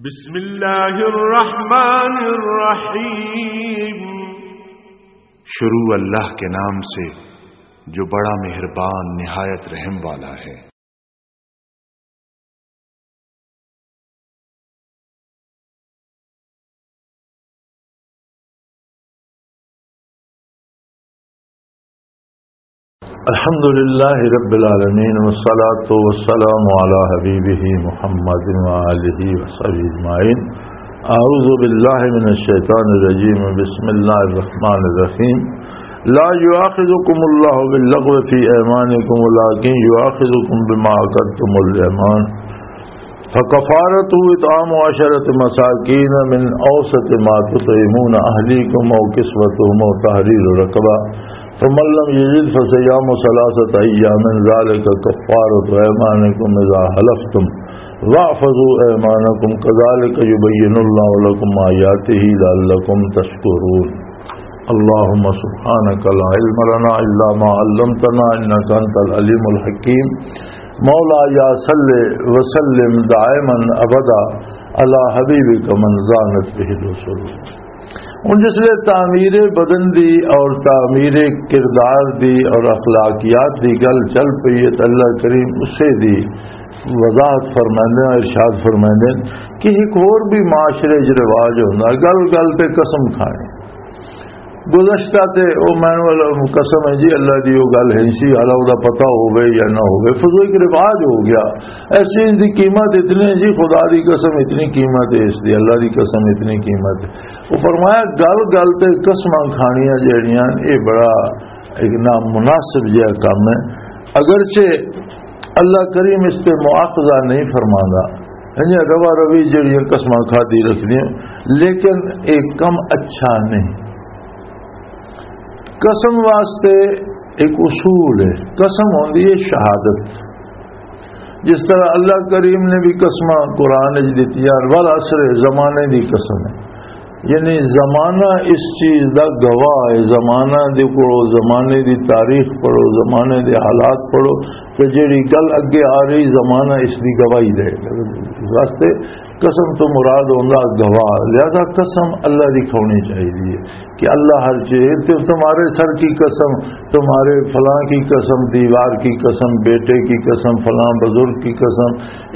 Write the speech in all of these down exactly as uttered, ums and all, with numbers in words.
بسم اللہ الرحمن الرحیم۔ شروع اللہ کے نام سے جو بڑا مہربان نہایت رحم والا ہے۔ الحمد لله رب العالمين، والصلاة والسلام على حبيبه محمد وآله وصحبه أجمعين. أعوذ بالله من الشيطان الرجيم. بسم الله الرحمن الرحيم. لا يؤاخذكم الله باللغو في أيمانكم ولكن يؤاخذكم بما عقدتم الأيمان. فكفارته إطعام عشرة مساكين من أوسط ما تطعمون أهليكم أو كسوتهم أو تحرير رقبة، فمن لم يجد فصيام ثلاثة أيام ذلك كفارة أيمانكم إذا حلفتم واحفظوا أيمانكم كذلك يبين الله لكم آياته لعلكم تشكرون. اللهم سبحانك لا علم لنا إلا ما علمتنا إنك أنت العليم الحكيم. مولاي صل وسلم دائما أبدا على حبيبك من زانت به الوصول. ہن جس لئے تعمیر بدن دی اور تعمیر کردار دی اور اخلاقیات دی گل چل پئی ہے، تے اللہ کریم اسے دی وضاحت فرماندے ہیں، ارشاد فرماندے ہیں کہ ایک ہور بھی معاشرے 'چ رواج ہوندا، گل گل تے قسم کھانی۔ گزشتہ تے او مینول قسم ہے جی، اللہ دی او گل ہے سی، حالا او دا پتہ ہوے یا نہ ہوے، فضو ایک رواج ہو گیا۔ اس چیز دی قیمت اتنی ہے جی، خدا دی قسم اتنی قیمت ہے، اس دی اللہ دی قسم اتنی قیمت ہے۔ وہ فرمایا، گل گل تے قسماں کھانیاں جیڑیاں، یہ بڑا ایک نامناسب جہا کام ہے۔ اگرچہ اللہ کریم اس تے مواخذہ نہیں فرماندا، یعنی روا روی جیڑیاں قسماں کھادی رکھدیاں، لیکن ایک کم اچھا نہیں۔ قسم واسطے ایک اصول ہے، قسم ہوندی ہے شہادت۔ جس طرح اللہ کریم نے بھی قسماں قرآن وچ دتیاں، والعصر، زمانے دی قسم ہے، یعنی زمانہ اس چیز دا گواہ ہے۔ زمانہ دے کولو، زمانے دی تاریخ پڑھو، زمانے دے حالات پڑھو، تے جیڑی گل اگے آ رہی، زمانہ اس دی گواہی دے۔ اس واسطے قسم تو مراد ہوندا گواہ، لہذا قسم اللہ دی کھانی چاہیے کہ اللہ ہر چیز، تے تمہارے سر کی قسم، تمہارے فلاں کی قسم، دیوار کی قسم، بیٹے کی قسم، فلاں بزرگ کی قسم،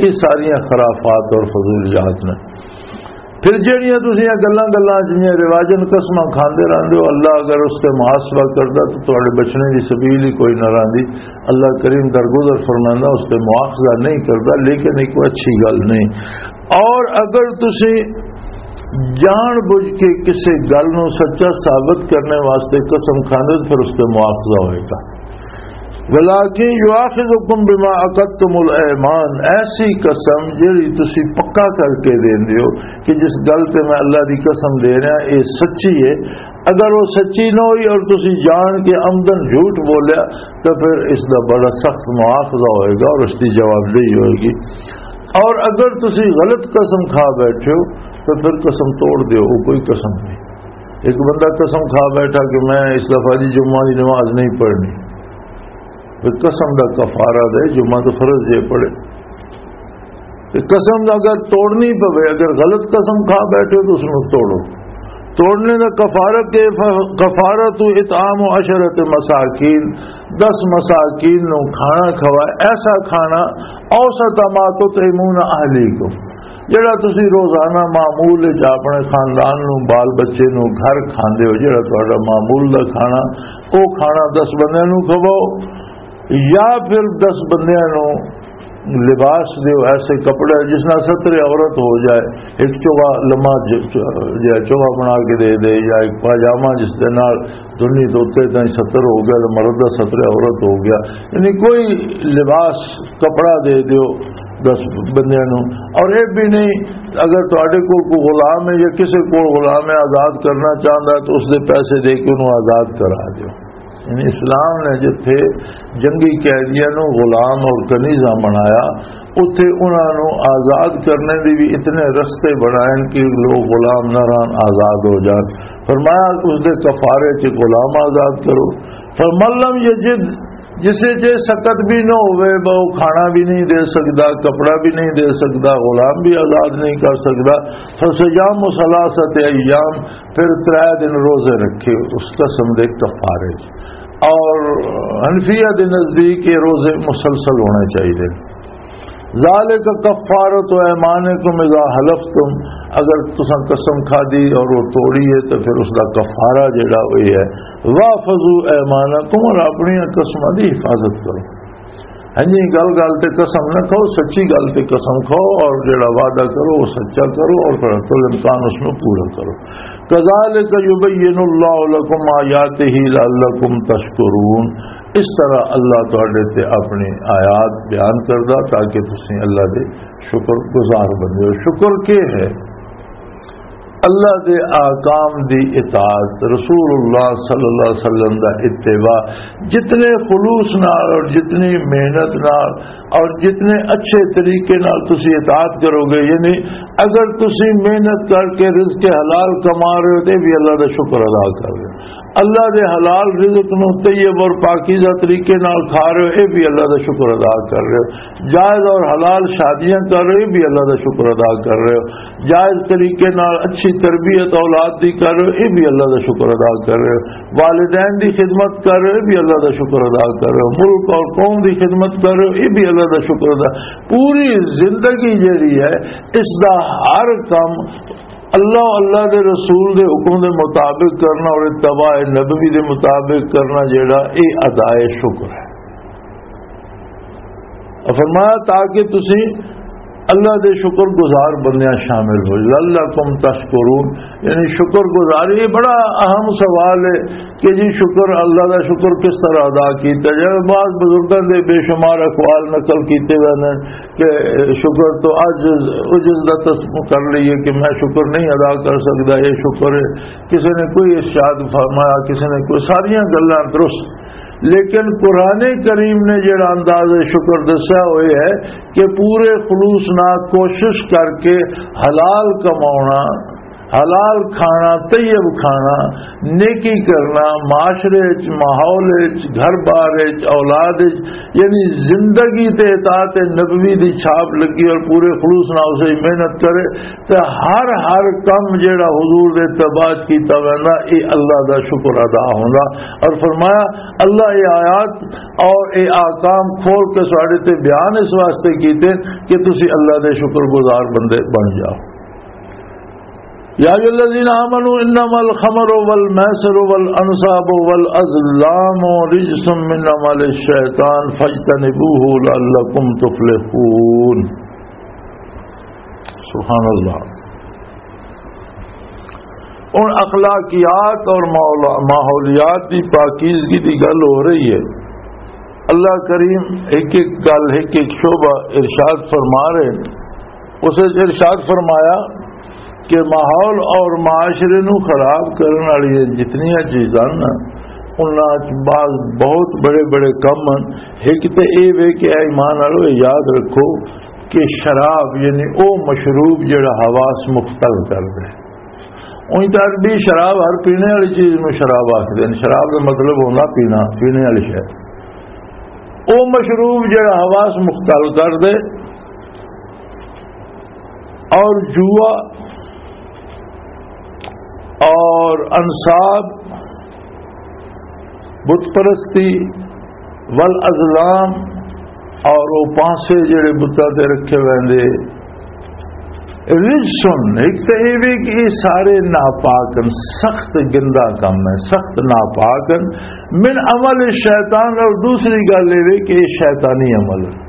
یہ ساریاں خرافات اور فضولیات نے۔ پھر جہڑیاں تسیں گلاں گلاں جنہیں رواجن قسماں کھاندے رہندے ہو، اللہ اگر اس تے محاسبہ کردا تو تہاڈے بچنے دی سبیل ہی کوئی نہ رہندی۔ اللہ کریم درگزر فرماندا، اس تے مواخذہ نہیں کردا، لیکن ایک اچھی گل نہیں۔ اور اگر تسی جان بوجھ کے کسی گل نو سچا ثابت کرنے واسطے قسم کھاندے تو پھر اس تے مواخذہ ہوئے گا۔ ولكن يؤاخذكم بما عقدتم الايمان، ایسی قسم جڑی تسی پکا کر کے دیندے ہو کہ جس گل تے میں اللہ دی قسم دے رہا، یہ سچی ہے۔ اگر وہ سچی نہ ہوئی اور تسی جان کے عمدن جھوٹ بولیا، تو پھر اس دا بڑا سخت مواخذہ ہوئے گا اور اس دی جوابدہی ہوئے گی۔ اور اگر تسی غلط قسم کھا بیٹھے ہو، تو پھر قسم توڑ دیو، وہ کوئی قسم نہیں۔ ایک بندہ قسم کھا بیٹھا کہ میں اس دفعہ دی جمعہ دی نماز نہیں پڑھنی، پھر قسم دا کفارہ دے، جمعہ تو فرض جے پڑھے۔ تے قسم اگر توڑنی پوے، اگر غلط قسم کھا بیٹھے تو اس نوں توڑو۔ توڑنے دا کفارہ کہ ف-، کفارہ تو اطعام عشرت مساکین، دس مساکین نوں کھانا کھوا، ایسا کھانا، اوسط ما تطعمون اہلیکم، جڑا تسی روزانہ معمول وچ اپنے خاندان نوں، بال بچے نوں گھر کھاندے ہو، جڑا تہاڈا معمول دا کھانا، او کھانا دس بندیاں نوں کھواؤ۔ یا پھر دس بندیاں نوں لباس دیو، ایسے کپڑے جس نال ستر عورت ہو جائے، ایک چوغا لما ج-، ج-، جائے، چوغا بنا کے دے دے، یا ایک پاجامہ جس دے نال دنی توتے تائیں ستر ہو گیا، تے مرد دا ستر عورت ہو گیا، یعنی کوئی لباس، کپڑا دے دیو دس بندیاں نوں۔ اور یہ بھی نہیں، اگر تہاڈے کول کوئی غلام ہے یا کسے کول غلام ہے، آزاد کرنا چاہندا ہے، تو اس دے پیسے دے کے انہوں آزاد کرا دیو۔ یعنی اسلام نے جتھے جنگی قیدیاں نوں غلام اور کنیزہ بنایا، اتھے انہاں نوں آزاد کرنے دی بھی اتنے رستے بنائے کہ لوگ غلام نہ رہن، آزاد ہو جان۔ فرمایا، اس دے کفارے چ غلام آزاد کرو۔ فمن لم یجد، جس وچ یہ سکت بھی نہ ہوئے، وہ کھانا بھی نہیں دے سکدا، کپڑا بھی نہیں دے سکدا، غلام بھی آزاد نہیں کر سکدا۔ فصیام ثلاثۃ ایام، پھر ترے دن روزے رکھے اس قسم دے کفارے۔ اور حنفیہ دے نزدیک یہ روزے مسلسل ہونے چاہیے۔ ذالک کفارۃ ایمانکم اذا حلفتم، اگر تساں قسم کھادی اور وہ توڑی ہے تو پھر اس دا کفارہ جڑا ہوئی ہے، واحفظوا ایمانکم، اور اپنی قسماں دی حفاظت کرو۔ ہاں جی، گل گل تے قسم نہ کھاؤ، سچی گل تے قسم کھاؤ، اور جڑا وعدہ کرو وہ سچا کرو، اور پھر حتی الامکان اس نو پورا کرو۔ کذالک یبین اللہ لکم آیاتہ لعلکم تشکرون، اس طرح اللہ تہاڈے تے اپنی آیات بیان کردا تاکہ تسی اللہ دے شکر گزار بنو۔ شکر کے ہے؟ اللہ دے احکام دی اطاعت، رسول اللہ صلی اللہ علیہ وسلم دا اتباع۔ جتنے خلوص نال اور جتنی محنت نال اور جتنے اچھے طریقے نال تسی اطاعت کرو گے، یعنی اگر تسی محنت کر کے رزق حلال کما رہے ہو تو یہ بھی اللہ دا شکر ادا کر رہے ہو۔ اللہ دے حلال رزق نو طیب اور پاکیزہ طریقے نال کھا رہے ہو، یہ بھی اللہ دا شکر ادا کر رہے ہو۔ جائز اور حلال شادیاں کر رہے ہو، یہ بھی اللہ دا شکر ادا کر رہے ہو۔ جائز طریقے نال اچھی تربیت اولاد دی کر رہے ہو، یہ بھی اللہ دا شکر ادا کر رہے ہو۔ والدین دی خدمت کر رہے ہو، یہ بھی اللہ دا شکر ادا کر رہے ہو۔ ملک اور قوم دی خدمت کر رہے ہو، یہ بھی اللہ دا شکر ادا۔ پوری زندگی جیڑی ہے، اس دا ہر کم اللہ، اللہ دے رسول دے حکم دے مطابق کرنا اور اتباع نبوی دے مطابق کرنا، جیڑا اے ادائے شکر ہے۔ اور فرمایا، تاکہ تسی اللہ دے شکر گزار بندیاں شامل ہو، لعلکم تشکرون، یعنی شکر گزار۔ یہ بڑا اہم سوال ہے کہ جی شکر، اللہ دا شکر کس طرح ادا کیتا جائے؟ بعض بزرگاں دے بے شمار اقوال نقل کیتے ہوئے نے کہ شکر تو عجز، عجز دا تصور کر لئیے کہ میں شکر نہیں ادا کر سکدا، یہ شکر ہے۔ کسی نے کوئی ارشاد فرمایا، کسی نے کوئی، ساریاں گلاں درست، لیکن قرآن کریم نے جڑا انداز شکر دسیا ہوئے ہے کہ پورے خلوص نال کوشش کر کے حلال کماؤنا، حلال کھانا، طیب کھانا، نیکی کرنا، معاشرے وچ، ماحول وچ، گھر بار وچ، اولاد وچ، یعنی زندگی تے اطاعت نبوی دی چھاپ لگی اور پورے خلوص نال اسے محنت کرے تے ہر ہر کم جیڑا حضور دے اتباع وچ کیتا ویندا، اے اللہ دا شکر ادا ہوندا۔ اور فرمایا، اللہ اے آیات اور اے احکام کھول کے ساڈے تے بیان اس واسطے کیتے کہ تسی اللہ دے شکر گزار بندے بن جاؤ۔ یا ایھا الذین آمنوا انما الخمر والمیسر والانصاب والازلام رجس من عمل الشیطان فاجتنبوہ لعلکم تفلحون۔ سبحان اللہ۔ ہن اخلاقیات اور ماحول-، ماحولیات دی پاکیزگی دی گل ہو رہی ہے۔ اللہ کریم ایک ایک گل، ایک ایک شعبہ ارشاد فرما رہے ہیں۔ اس وچ ارشاد فرمایا کہ ماحول اور معاشرے نو خراب کرن والی جتنیاں چیزاں نا، انہاں وچ بعض بہت بڑے بڑے کم ہیں۔ ایک تے اے وے کہ اے ایمان والو، یاد رکھو کہ شراب یعنی او مشروب جڑا حواس مختل کر دے۔ اونج تے عربی شراب، ہر پینے والی چیز نوں شراب آکھدے نے۔ شراب دا مطلب ہوندا پینا، پینے والی شے۔ او مشروب جڑا حواس مختل کر دے، اور جوا اور انصاب، بت پرستی، والازلام، اور وہ پانسے جڑے بتاں تے رکھے ویندے، رجسن، ایک تے یہ بھی کہ یہ سارے ناپاک ہیں، سخت گندا کم ہے، سخت ناپاک ہیں، من عمل الشیطان، اور دوسری گل یہ بھی کہ یہ شیطانی عمل ہے۔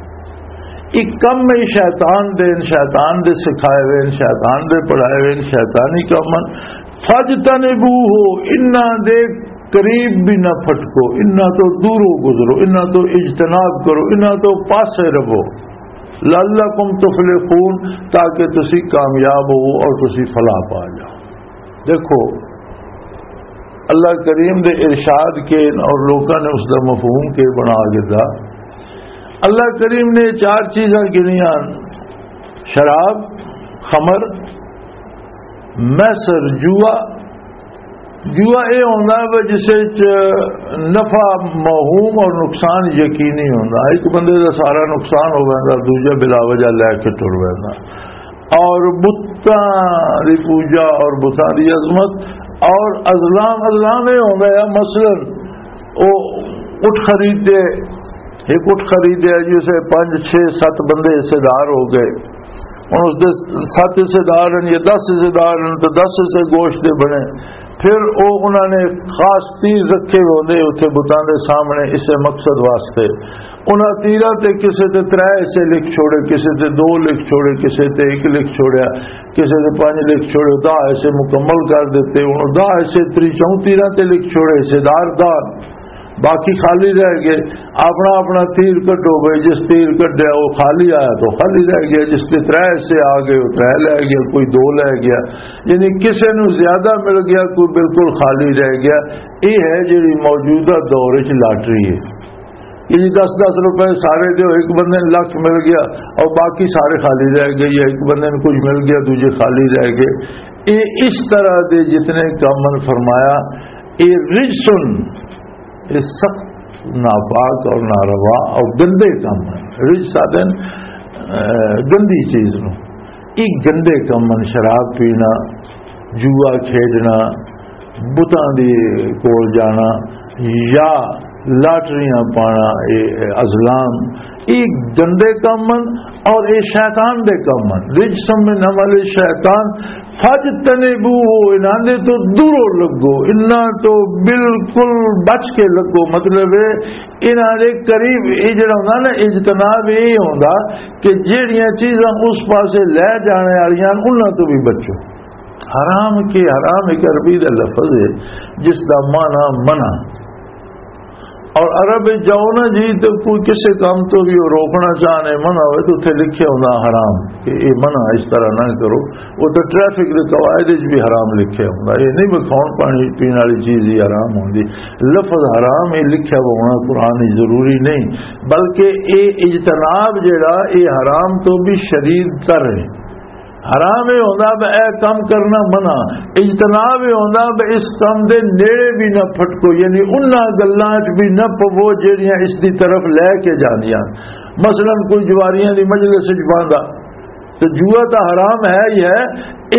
ایک کم میں شیطان دے، شیطان دے سکھائے ہوئے، شیطان دے پڑھائے ہوئے، شیطانی کم ہیں۔ فاجتنبوہ، انہاں دے قریب بھی نہ پھٹکو، انہاں تو دورو گزرو، انہاں تو اجتناب کرو، انہاں تو پاسے رہو۔ لعلکم تفلحون، تاکہ تسی کامیاب ہو اور تسی فلاح پا جاؤ۔ دیکھو، اللہ کریم دے ارشاد کے اور لوکاں نے اس دا مفہوم کے بنا دیتا۔ اللہ کریم نے چار چیزاں گنیاں: شراب، خمر، میسر، جوا، جوا یہ ہوندا ہے جس وچ نفع موہوم اور نقصان یقینی ہوندا۔ ایک بندے دا سارا نقصان ہو ویندا، دوجا بلا وجہ لے کے ٹر ویندا۔ اور بتاں دی پوجا اور بتاں دی عظمت اور ازلام، ازلام یہ ہوندا ہے، مثلاً، او اٹھ خرید دے، ایک اٹھ خریدیا جی، اسے پنج، چھ، ست بندے حصے دار ہو گئے۔ ہن اس دے ست حصے دار ہیں یا دس حصے دار ہیں، تو دس حصے گوشت دے بنے۔ پھر او انہاں نے خاص تیر رکھے ہوندے اتھے بتاں دے سامنے اسے مقصد واسطے۔ انہاں تیراں تے کسے تے ترے حصے لکھ چھوڑے، کسے تے دو لکھ چھوڑے، کسے تے ایک لکھ چھوڑیا، کسے تے پنج لکھ چھوڑے، دہ حصے مکمل کر دیتے۔ ہن دہ حصے تری چوں تیراں تے لکھ چھوڑے، حصے دار دہ، باقی خالی رہ گئے۔ اپنا اپنا تیر کڈو بھائی، جس تیر کڈیا وہ خالی آیا تو خالی رہ گیا، جس دے ترے حصے آ گئے وہ ترے لے گیا، کوئی دو لے گیا۔ یعنی کسے نو زیادہ مل گیا، کوئی بالکل خالی رہ گیا۔ یہ ہے جڑی موجودہ دور وچ لاٹری ہے کہ جی دس دس روپے سارے دے، ایک بندے نوں لکھ مل گیا اور باقی سارے خالی رہ گئے، یا ایک بندے نوں کچھ مل گیا، دوجے خالی رہ گئے۔ یہ اس طرح دے جتنے کم من فرمایا، یہ رجسن، یہ سخت ناپاک اور ناروا اور گندے کم ہیں۔ رجس آدھے نے، اے، گندی چیز نو۔ یہ گندے کم ہیں، شراب پینا، جوا کھیڈنا، بتاں دی کول جانا یا لاٹریاں پانا، یہ ازلام، یہ گندے کم ہیں اور یہ شیطان دے کم ہیں۔ رجس من عمل الشیطان، فاجتنبوہ، انہاں دے تو دورو لگو، انہاں تو بالکل بچ کے لگو۔ مطلب ہے، انہاں دے قریب، یہ جڑا ہوندا نا اجتناب، یہ ہوندا کہ جڑیاں چیزاں اس پاسے لے جانے والیاں، انہاں تو بھی بچو۔ حرام کے، حرام ایک عربی دا لفظ ہے جس دا معنی منع۔ اور عرب وچ جاؤ نا جی، تے کوئی کسے کام تو بھی وہ روکنا چاہنے، منع ہوئے، تو اتھے لکھیا ہوندا حرام، کہ یہ منع، اس طرح نہ کرو۔ وہ تو ٹریفک دے قواعد وچ بھی حرام لکھیا ہوندا۔ یہ نہیں بھی کھاؤن پانی پین والی چیز ہی حرام ہوندی۔ لفظ حرام یہ لکھیا ہونا قرآن وچ ضروری نہیں، بلکہ یہ اجتناب جڑا، یہ حرام تو بھی شدید تر ہے۔ حرام یہ ہوندا بھی اے کم کرنا منع، اجتناب یہ ہوندا بھی اس کم دے نیڑے بھی نہ پھٹکو، یعنی انہاں گلاں وچ بھی نہ پوو جڑیاں اس دی طرف لے کے جاندیاں۔ مثلاً کوئی جواریاں دی مجلس وچ باندا، تو جوا تاں حرام ہے ہی ہے،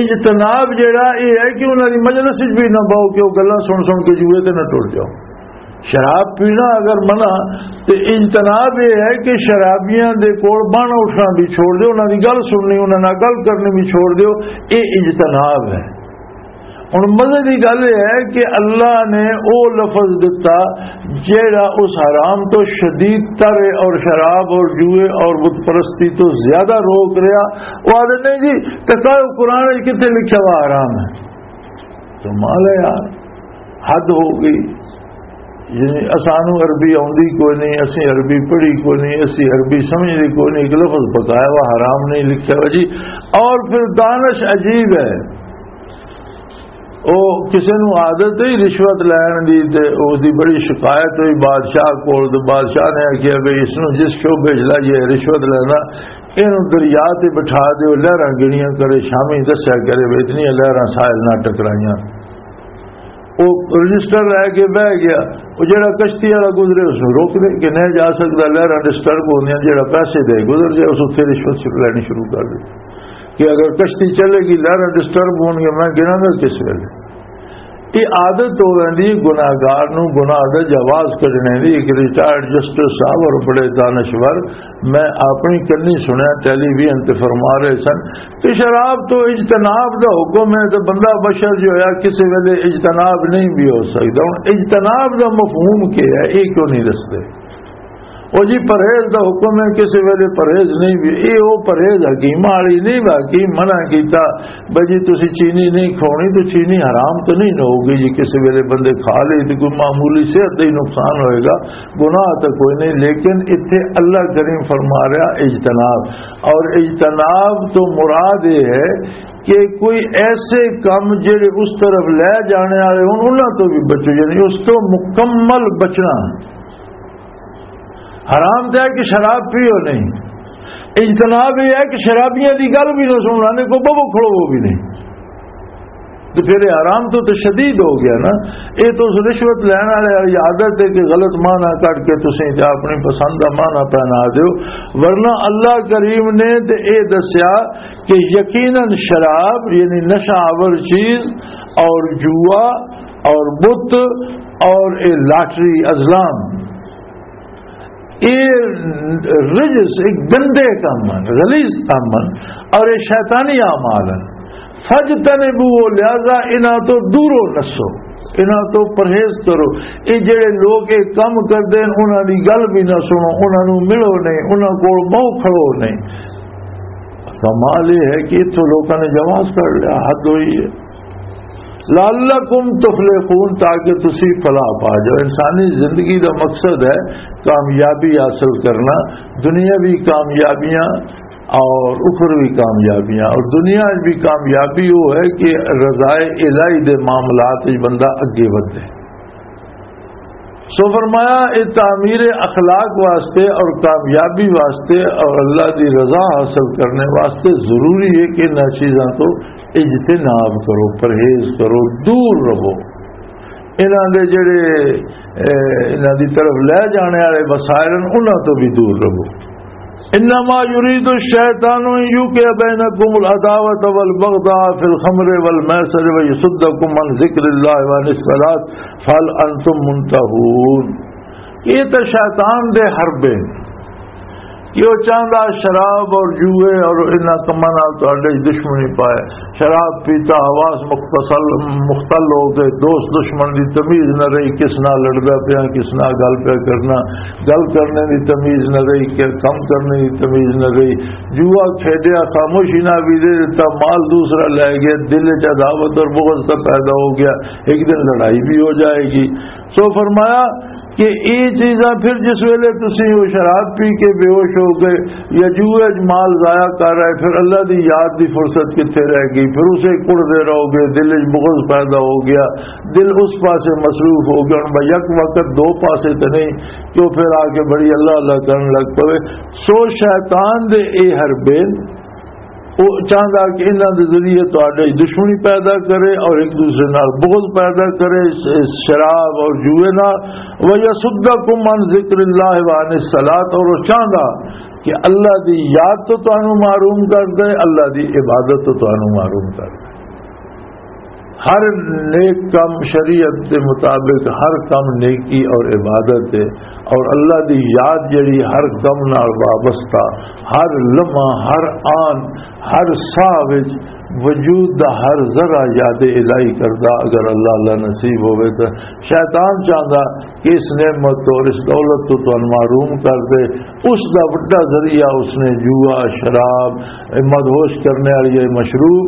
اجتناب جڑا یہ ہے کہ انہاں دی مجلس وچ بھی نہ باؤ کہ وہ گلاں سن سن کے جوئے تے نہ ٹر جاؤ۔ شراب پینا اگر منع، تے اجتناب یہ ہے کہ شرابیاں دے کول بن اٹھنا بھی چھوڑ دیو، انہاں دی گل سننی، انہاں نال گل کرنی بھی چھوڑ دیو۔ یہ اجتناب ہے۔ ہن مزے دی گل یہ ہے کہ اللہ نے او لفظ دتا جیڑا اس حرام تو شدید تر ہے اور شراب اور جوئے اور بت پرستی تو زیادہ روک رہا۔ وہ آدھے، نہیں جی، تکاؤ قرآن وچ کتنے لکھا ہوا حرام ہے؟ تو مال ہے یار، حد ہو گئی۔ یعنی اسانو عربی آوندی کوئی نہیں، اسی عربی پڑھی کوئی نہیں، اسی عربی سمجھدے کوئی نہیں، ایک لفظ پکایا ہوا حرام نہیں لکھیا ہوا جی۔ اور پھر دانش عجیب ہے، او کسے نو عادت ہی رشوت لین دی، تے اس دی بڑی شکایت ہوئی بادشاہ کول، تے بادشاہ نے آکھیا بھی اس نو جس شعبے چ لائیے رشوت لینا، اینو دریا تے بٹھا دیو، لہراں گنیاں کرے، شامی دسیا کرے بھی اتنی لہراں ساحل نہ ٹکرائیاں۔ وہ رجسٹر لے کے بہ گیا، وہ جڑا کشتی والا گزرے اس نو روک دے کہ نہیں جا سکتا، لہراں ڈسٹرب ہوندیاں، جڑا پیسے دے گزر جائے اس اتنے رشوت شروع لینی شروع کر دے کہ اگر کشتی چلے گی، لہراں ڈسٹرب ہون گے، میں گراں گا کس ویلے؟ یہ عادت ہو ویندی گناہگار نو گناہ دا جواز کڈنے دی۔ ایک ریٹائرڈ جسٹس صاحب اور بڑے دانشور، میں اپنی کنی سنیا، ٹیلی ویژن تے فرما رہے سن کہ شراب تو اجتناب دا حکم ہے، تو بندہ بشر جو ہے کسی ویلے اجتناب نہیں بھی ہو سکتا۔ ہن اجتناب دا مفہوم کیا ہے، یہ کیوں نہیں دستے؟ او جی، پرہیز دا حکم ہے، کسی ویلے پرہیز نہیں بھی، اے او پرہیز حکیماں والی نہیں، حکیم منع کیتا، بھئی جی تسی چینی نہیں کھاونی، تو چینی حرام تو نہیں نہ ہوگی جی، کسی ویلے بندے کھا لئی تو کوئی معمولی صحت دا ہی نقصان ہوئے گا، گناہ تو کوئی نہیں۔ لیکن اتھے اللہ کریم فرما رہا اجتناب، اور اجتناب تو مراد یہ ہے کہ کوئی ایسے کام جڑے اس طرف لے جانے والے ہون، انہاں تو بھی بچو، یعنی اس تو مکمل بچنا۔ حرام تے ہے کہ شراب پیو نہیں، اجتناب یہ ہے کہ شرابیاں دی گل بھی نہ سننا، نہیں کوئی ببو کھڑو وہ بھی نہیں۔ تو پھر یہ حرام تو، تو شدید ہو گیا نا۔ یہ تو اس رشوت لین والے والی عادت ہے کہ غلط معنی کٹ کے تسیں تے اپنی پسند کا معنی پہنا دیو۔ ورنہ اللہ کریم نے تے یہ دسیا کہ یقیناً شراب، یعنی نشہ آور چیز، اور جوا، اور بت، اور یہ لاٹری، ازلام، یہ رجس، ایک گندے کام ہیں، غلیظ کام ہیں، اور یہ شیطانی اعمال ہیں۔ فاجتنبوہ، لہذا انہاں تو دورو نسو، انہاں تو پرہیز کرو۔ یہ جڑے لوگ یہ کام کردے ہیں، انہاں دی گل بھی نہ سنو، انہاں نوں ملو نہیں، انہاں کول بہو کھڑو نہیں۔ کمال یہ ہے کہ اتھوں لوکاں نے جواز کر لیا، حد ہوئی ہے۔ لعلکم تفلحون، تاکہ تسی فلاح پا جاؤ۔ انسانی زندگی دا مقصد ہے کامیابی حاصل کرنا، دنیاوی کامیابیاں اور اخروی کامیابیاں۔ اور دنیا وچ بھی کامیابی وہ ہے کہ رضائے الہی دے معاملات وچ بندہ اگے ودے۔ سو فرمایا، یہ تعمیر اخلاق واسطے اور کامیابی واسطے اور اللہ دی رضا حاصل کرنے واسطے ضروری ہے کہ انہاں چیزاں تو اجتناب کرو، پرہیز کرو، دور رہو۔ انہاں دے جڑے، اے، انہاں دی طرف لے جانے والے وسائل ہیں، انہاں تو بھی دور رہو۔ انما یرید الشیطان ان یوقع بینکم العداوۃ والبغضاء فی الخمر والمیسر ویصدکم عن ذکر اللہ وعن الصلاۃ فہل انتم منتہون۔ یہ تو شیطان دے حربے کہ وہ چاہندا شراب اور جوئے اور انہاں کماں نال تہاڈے وچ دشمنی پائے۔ شراب پیتا، حواس مختصل، مختل ہو گئے، دوست دشمن دی تمیز نہ رہی، کس نال لڑدا پیا، کس نال گل پیا کرنا، گل کرنے دی تمیز نہ رہی، کہ کم کرنے دی تمیز نہ رہی۔ جوا کھیڈیا، خاموشی نہ بھی دے دیتا، مال دوسرا لے گیا، دل وچ عداوت اور بغض کا پیدا ہو گیا، ایک دن لڑائی بھی ہو جائے گی۔ سو فرمایا کہ یہ چیزاں پھر جس ویلے تسی وہ شراب پی کے بے ہوش ہو گئے یا جوئے وچ مال ضائع کر رہے، پھر اللہ دی یاد دی فرصت کتھے رہ گئی؟ پھر اسے کڑدے رہو گے، دل وچ بغض پیدا ہو گیا، دل اس پاسے مصروف ہو گیا۔ ہن بھئی یک وقت دو پاسے تے نہیں کہ وہ پھر آ کے بڑی اللہ اللہ کرن لگ پوے۔ سو شیطان دے اے حربے، وہ چاہندا کہ انہاں دے ذریعے تہاڈے وچ دشمنی پیدا کرے اور ایک دوسرے نال بغض پیدا کرے، ش-، شراب اور جوئے نال۔ وَيَصُدَّكُمْ عَنْ ذِكْرِ اللَّهِ وَعَنِ الصَّلَاةِ، اور وہ چاہندا کہ اللہ دی یاد تو تانوں محروم کر دے، اللہ دی عبادت تو تانوں محروم کر دے۔ ہر نیک کم شریعت کے مطابق، ہر کم نیکی اور عبادت ہے، اور اللہ دی یاد جڑی ہر کم نال وابستہ، ہر لمحہ، ہر آن، ہر ساہ وچ وجود دا ہر ذرہ یاد الہی کردا، اگر اللہ اللہ نصیب ہوئے تو شیطان چاہندا کہ اس نعمت تو اور اس دولت تو تانوں محروم کر دے۔ اس دا وڈا ذریعہ اس نے جوا، شراب، مدہوش کرنے والی یہ مشروب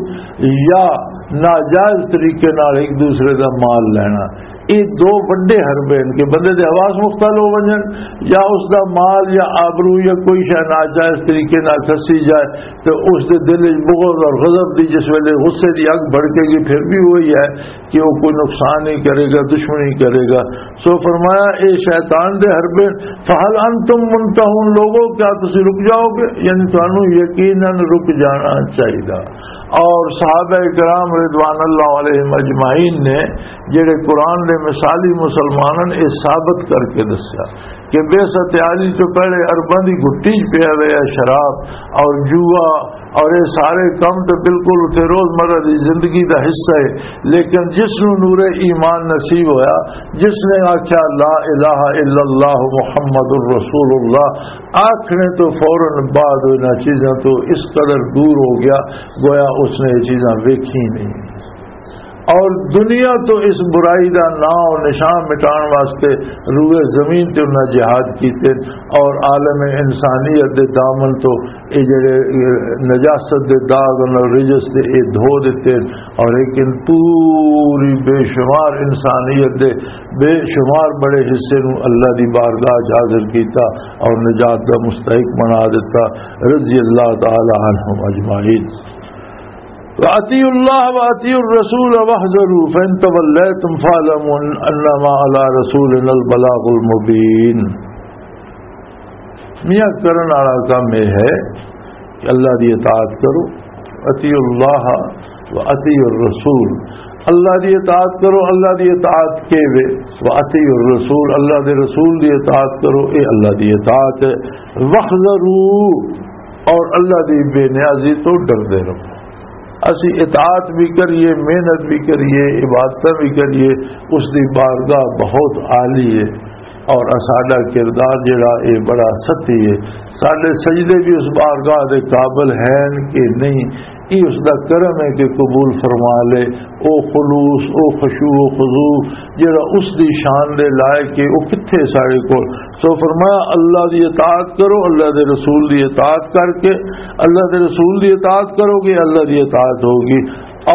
یا ناجائز طریقے نال ایک دوسرے دا مال لینا۔ یہ دو وڈے حربے ہیں کہ بندے دے حواس مختل ہو ونجن، یا اس دا مال یا آبرو یا کوئی شے ناجائز طریقے نال کھسی جائے، تو اس دے دل وچ بغض اور غضب دی، جس ویلے غصے دی اگ بھڑکے گی، پھر بھی وہی ہے کہ وہ کوئی نقصان نہیں کرے گا، دشمنی کرے گا۔ سو فرمایا، اے شیطان دے حربے، فَهَلْ أَنْتُمْ مُنْتَهُونَ، لوگو، کیا تسی رک جاؤ گے؟ یعنی تانوں یقیناً رک جانا چاہیدا۔ اور صحابہ کرام رضوان اللہ علیہم اجمعین نے جڑے قرآن دے مثالی مسلماناں، اے ثابت کر کے دسیا کہ بعثت عالی تو پہلے عرباں دی گھٹی چ پیا رہیا شراب اور جوا اور یہ سارے کام تو بالکل اتھے روزمرہ دی زندگی دا حصہ ہے۔ لیکن جس نوں نور ایمان نصیب ہویا، جس نے آکھیا، "لا الہ الا اللہ محمد رسول اللہ"، آکھنے تو فوراً بعد انہاں چیزاں تو اس قدر دور ہو گیا، گویا اس نے یہ چیزاں ویکھی نہیں۔ اور دنیا تو اس برائی دا نام و نشان مٹان واسطے روئے زمین تے انہاں جہاد کیتے، اور عالم انسانیت دے دامن تو اے جڑے، اے نجاست دے داغ اور رجس دے اے دھو دتے، اور لیکن پوری بے شمار انسانیت دے بے شمار بڑے حصے نو اللہ دی بارگاہ چ حاضر کیتا اور نجات دا مستحق بنا دیتا، رضی اللہ تعالی عنہم اجمعین۔ وَأَطِيعُوا اللَّهَ وَأَطِيعُوا الرَّسُولَ وَاحْذَرُوا فَإِنْ تَوَلَّيْتُمْ فَاعْلَمُوا أَنَّمَا عَلَى رَسُولِنَا الْبَلَاغُ الْمُبِينُ۔ میاں کرن والا کام یہ ہے کہ اللہ دی اطاعت کرو، اطیعوا اللہ و اطیعوا الرسول، اللہ دی اطاعت کرو۔ اللہ دی اطاعت کے وے؟ وَأَطِيعُوا الرَّسُولَ، اللہ دے رسول دی اطاعت کرو، اے اللہ دی اطاعت ہے۔ وَاحْذَرُوا، اور اللہ دی بے نیازی تو ڈردے رہو۔ اسی اطاعت بھی کریے، محنت بھی کریے، عبادتاں بھی کریے، اس دی بارگاہ بہت عالی ہے۔ اور ساڈا کردار جڑا، اے بڑا ستی ہے۔ ساڈے سجدے بھی اس بارگاہ دے قابل ہیں کہ نہیں، یہ اس دا کرم ہے کہ قبول فرما لے۔ او خلوص، او خشوع و خضوع جڑا اس دی شان دے لائق ہے، او کتھے ساڈے کول؟ سو فرمایا، اللہ دی اطاعت کرو، اللہ دے رسول دی اطاعت کر کے، اللہ دے رسول دی اطاعت کرو گے، اللہ دی اطاعت ہوگی۔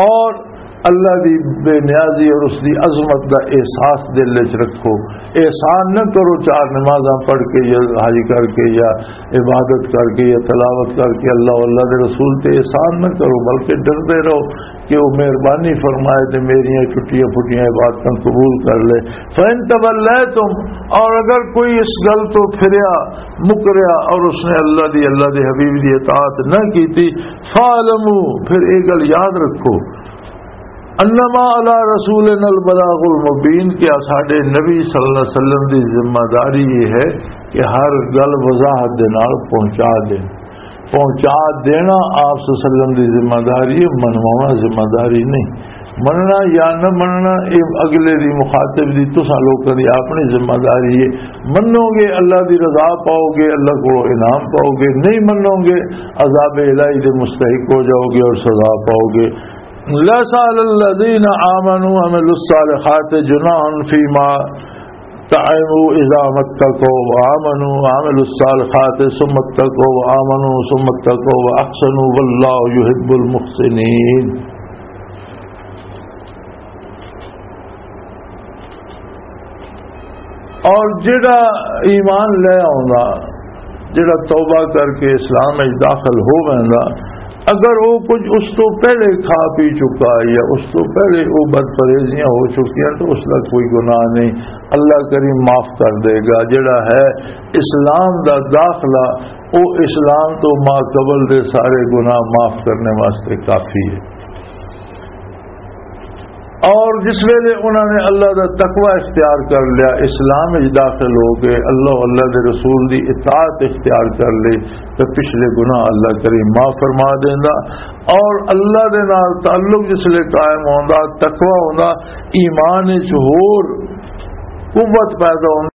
اور اللہ دی بے نیازی اور اس دی عظمت دا احساس دل وچ رکھو۔ احسان نہ کرو چار نمازاں پڑھ کے یا حج کر کے یا عبادت کر کے یا تلاوت کر کے، اللہ، اللہ دے رسول تے احسان نہ کرو، بلکہ ڈردے رہو کہ وہ مہربانی فرمائے تے میریاں ٹٹیاں پھٹیاں عبادتاں قبول کر لے۔ فَإِن تَوَلَّيْتُمْ، اور اگر کوئی اس گل تو پھریا، مکریا، اور اس نے اللہ دی، اللہ دے حبیب دی اطاعت نہ کیتی، فَاعْلَمُوا، پھر یہ گل یاد رکھو، انما علی رسولنا البلاغ المبین، کہ ساڈے نبی صلی اللہ علیہ وسلم دی ذمہ داری یہ ہے کہ ہر گل وضاحت دے نال پہنچا دین۔ پہنچا دینا آپ صلی اللہ علیہ وسلم دی ذمہ داری ہے، منوانا ذمہ داری نہیں۔ مننا یا نہ مننا، یہ اگلے دی، مخاطب دی، تساں لوکاں دی اپنی ذمہ داری ہے۔ منو گے، اللہ دی رضا پاؤ گے، اللہ کو انعام پاؤ گے، نہیں منو گے، عذاب الہی دے مستحق ہو جاؤ گے اور سزا پاؤ گے۔ لَيْسَ عَلَى الَّذِينَ آمَنُوا وَعَمِلُوا الصَّالِحَاتِ جُنَاحٌ فِيمَا طَعِمُوا إِذَا مَا اتَّقَوْا وَآمَنُوا وَعَمِلُوا الصَّالِحَاتِ ثُمَّ اتَّقَوْا وَآمَنُوا ثُمَّ اتَّقَوْا وَأَحْسَنُوا وَاللَّهُ يُحِبُّ الْمُحْسِنِينَ۔ اور جڑا ایمان لے آوندا، جڑا توبہ کر کے اسلام وچ داخل ہو ویندا، اگر وہ کچھ اس تو پہلے کھا پی چکا ہے یا اس تو پہلے وہ بد پرہیزیاں ہو چکی ہیں تو اس کا کوئی گناہ نہیں، اللہ کریم معاف کر دے گا۔ جڑا ہے اسلام دا داخلہ، وہ اسلام تو ما قبل دے سارے گناہ معاف کرنے واسطے کافی ہے۔ اور جس ویلے انہوں نے اللہ دا تقوی اختیار کر لیا، اسلام وچ داخل ہو گئے، اللہ، اللہ دے رسول دی اطاعت اختیار کر لی، تو پچھلے گناہ اللہ کریم معاف فرما دیندا۔ اور اللہ دے نال تعلق جس لے قائم ہوندا، تقوی ہوندا، ایمان وچ ہور قوت پیدا ہوندا۔